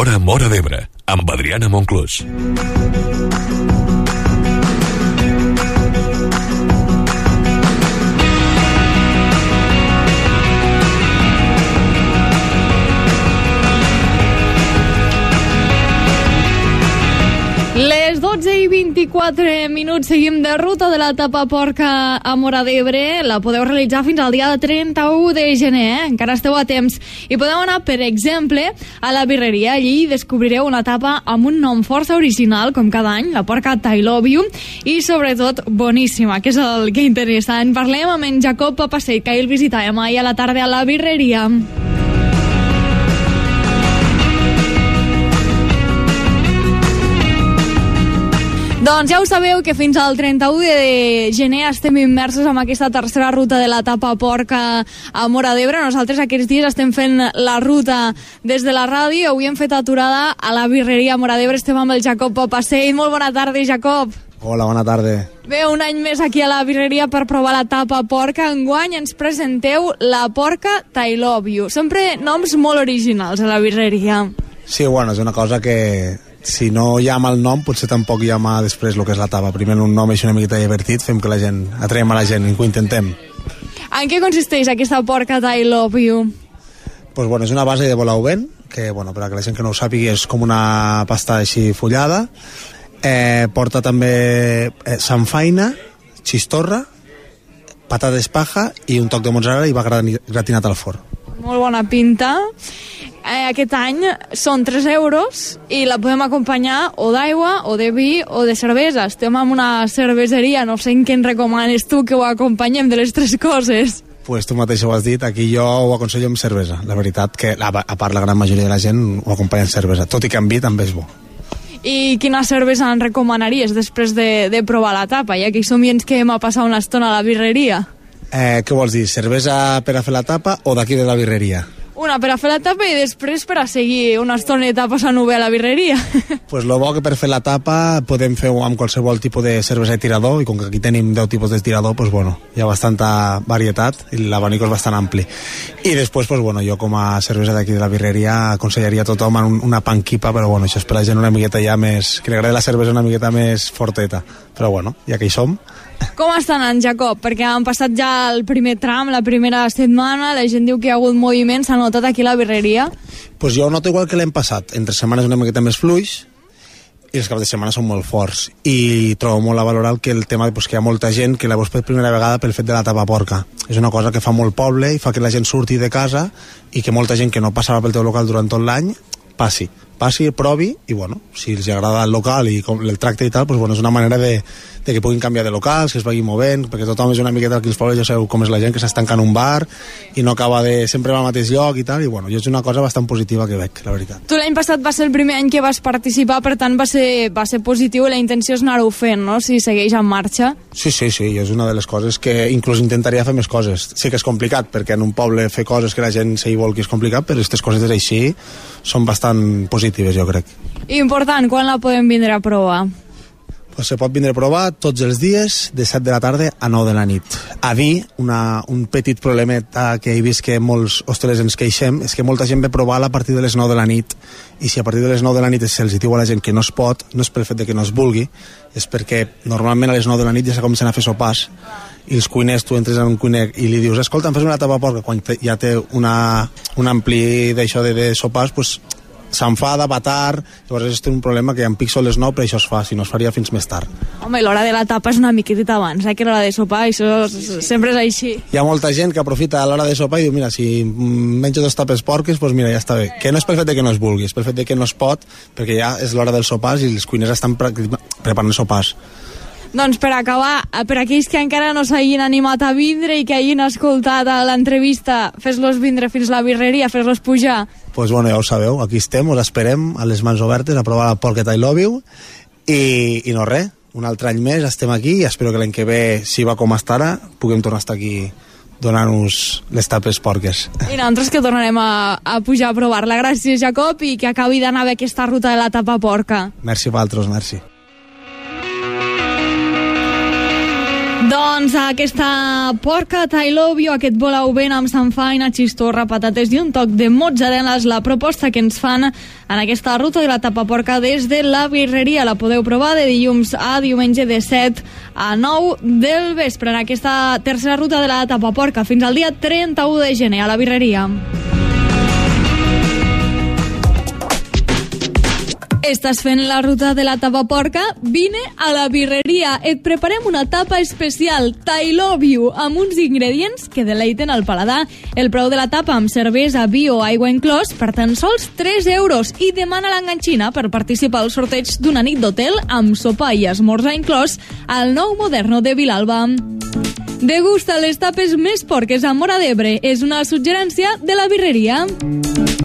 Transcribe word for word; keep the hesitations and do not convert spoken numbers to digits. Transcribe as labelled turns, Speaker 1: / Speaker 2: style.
Speaker 1: L'Hora Móra d'Ebre, amb Adriana Monclús.
Speaker 2: Les dotze i vint-i-quatre minuts, seguim de ruta de la Tapa Porca a Móra d'Ebre. La podeu realitzar fins al dia trenta-u de gener, eh? Encara esteu a temps. I podeu anar, per exemple, a la birreria. Allí descobrireu una tapa amb un nom força original, com cada any, la Porca I Love You, i sobretot boníssima, que és el que interessa. En parlem amb en Jacob Papaseit, que ahir el visitàvem ahir a la tarda a la birreria. Doncs ja ho sabeu que fins al trenta-u de gener estem immersos en aquesta tercera ruta de la Tapa Porca a Móra d'Ebre. Nosaltres aquests dies estem fent la ruta des de la ràdio. Avui hem fet aturada a la birreria a Móra d'Ebre. Estem amb el Jacob Papaseit. Molt bona tarda, Jacob.
Speaker 3: Hola, bona tarda.
Speaker 2: Bé, un any més aquí a la birreria per provar la Tapa Porca. Enguany ens presenteu la Porca I Love You. Sempre noms molt originals a la birreria.
Speaker 3: Sí, bueno, és una cosa que si no llama el nom, potser tampoc llama després el que és la tapa. Primer un nom és una miqueta divertit, fem que la gent, atraiem a la gent i que ho intentem.
Speaker 2: En què consisteix aquesta Porca I Love You?
Speaker 3: Pues bueno, és una base de bolauvent, que bueno, per a que la gent que no ho sàpiga és com una pasta així fullada. Eh, porta també eh, samfaina, xistorra, patates paja i un toc de mozzarella i va gratinat al forn.
Speaker 2: Molt bona pinta. Eh, aquest any són tres euros i la podem acompanyar o d'aigua, o de vi, o de cervesa. Estem en una cerveseria, no sé en què en recomanes tu que ho acompanyem de les tres coses.
Speaker 3: Pues tu mateix ho has dit, aquí jo ho aconsello amb cervesa. La veritat que, a part, la gran majoria de la gent ho acompanya amb cervesa, tot i que amb vi també és bo.
Speaker 2: I quina cervesa en recomanaries després de, de provar la tapa, ja que hi som i ens quedem a passar una estona a la birreria?
Speaker 3: Eh, què vols dir, cervesa per a fer la tapa o d'aquí de la birreria?
Speaker 2: Una per a fer la tapa i després per a seguir una estoneta passant-ho bé a la birreria.
Speaker 3: Pues lo bo que per fer la tapa podem fer amb qualsevol tipus de cervesa de tirador, i com que aquí tenim deu tipus de tirador, pues bueno, hi ha bastanta varietat i l'abanico és bastant ampli. I després, pues bueno, jo com a cervesa d'aquí de la birreria aconsellaria a tothom una panquipa, però bueno, això és per la gent una miqueta ja més, que li agrada la cervesa una miqueta més forteta. Però bueno, ja que hi som.
Speaker 2: Com està anant, Jacob? Perquè han passat ja el primer tram, la primera setmana, la gent diu que hi ha hagut moviment, s'ha notat aquí a la birreria?
Speaker 3: Pues jo noto igual que l'hem passat, entre setmanes una miqueta més fluix i els caps de setmana són molt forts, i trobo molt a valorar que el tema pues, que hi ha molta gent que la veus per primera vegada pel fet de la Tapa Porca. És una cosa que fa molt poble i fa que la gent surti de casa i que molta gent que no passava pel teu local durant tot l'any passi, passi, provi, i bueno, si els agrada el local i com el tracte i tal, pues bueno, és una manera de, de que puguin canviar de locals, que es vagin movent, perquè tothom és una miqueta aquí als pobles, ja sabeu com és la gent, que s'estanca en un bar i no acaba de sempre va al mateix lloc i tal, i bueno, jo és una cosa bastant positiva que veig, la veritat.
Speaker 2: Tu l'any passat va ser el primer any que vas participar, per tant va ser, va ser positiu, la intenció és anar-ho fent, no?, si segueix en marxa.
Speaker 3: Sí, sí, sí, és una de les coses que inclús intentaria fer més coses. Sí que és complicat, perquè en un poble fer coses que la gent s'hi vol que és complicat, però aquestes coses així són bastant positives, jo crec.
Speaker 2: Important, quan la podem vindre a provar?
Speaker 3: Pues se pot vindre a provar tots els dies de set de la tarda a nou de la nit. A dir, una, un petit problemeta que he vist que molts hostelers ens queixem és que molta gent ve a provar a partir de les nou de la nit, i si a partir de les nou de la nit se'ls diu a la gent que no es pot, no és pel fet de que no es vulgui, és perquè normalment a les nou de la nit ja se comencen a fer sopars, i els cuiners, tu entres en un cuiner i li dius escolta, em fes una tapa porca, quan te, ja té una, un ampli d'això de, de sopars, pues s'enfada, va tard, llavors és un problema que en pic són les nou, però això es fa, si no es faria fins més tard.
Speaker 2: Home, i l'hora de la tapa és una miquetita abans, eh, que l'hora de sopar, això sí. Sempre és així.
Speaker 3: Hi ha molta gent que aprofita a l'hora de sopar i diu, mira, si menjo dos tapes porques, doncs mira, ja està bé. Que no és pel fet de que no es vulgui, és pel fet de que no es pot, perquè ja és l'hora dels sopars i els cuiners estan preparant sopars.
Speaker 2: Doncs per acabar, per aquells que encara no s'hagin animat a vindre i que hagin escoltat l'entrevista, fes-los vindre fins a la birreria, fes-los pujar.
Speaker 3: Doncs pues bueno, ja ho sabeu, aquí estem, us esperem a les mans obertes a provar la Porca I Love You, i, i no res, un altre any més estem aquí i espero que l'any que ve, si va com està ara, puguem tornar a estar aquí donant-nos les tapes porques.
Speaker 2: I nosaltres que tornarem a, a pujar a provar-la. Gràcies, Jacob, i que acabi d'anar bé aquesta ruta de la Tapa Porca.
Speaker 3: Merci a vosaltres, merci.
Speaker 2: Doncs aquesta porca I love you, aquest volau ben amb sanfaina, xistorra, patates i un toc de mozzarella és la proposta que ens fan en aquesta ruta de la tapaporca des de la birreria. La podeu provar de dilluns a diumenge de set a nou del vespre en aquesta tercera ruta de la tapaporca fins al dia trenta-u de gener a la birreria. Estàs fent la ruta de la tapaporca? Vine a la birreria. Et preparem una tapa especial, I love you, amb uns ingredients que deleiten el paladar. El preu de la tapa amb cervesa, vi o aigua inclòs per tan sols tres euros i demana l'enganxina per participar al sorteig d'una nit d'hotel amb sopar i esmorzar inclòs al nou Moderno de Vilalba. Degusta les tapes més porques a Móra d'Ebre. És una suggerència de la birreria.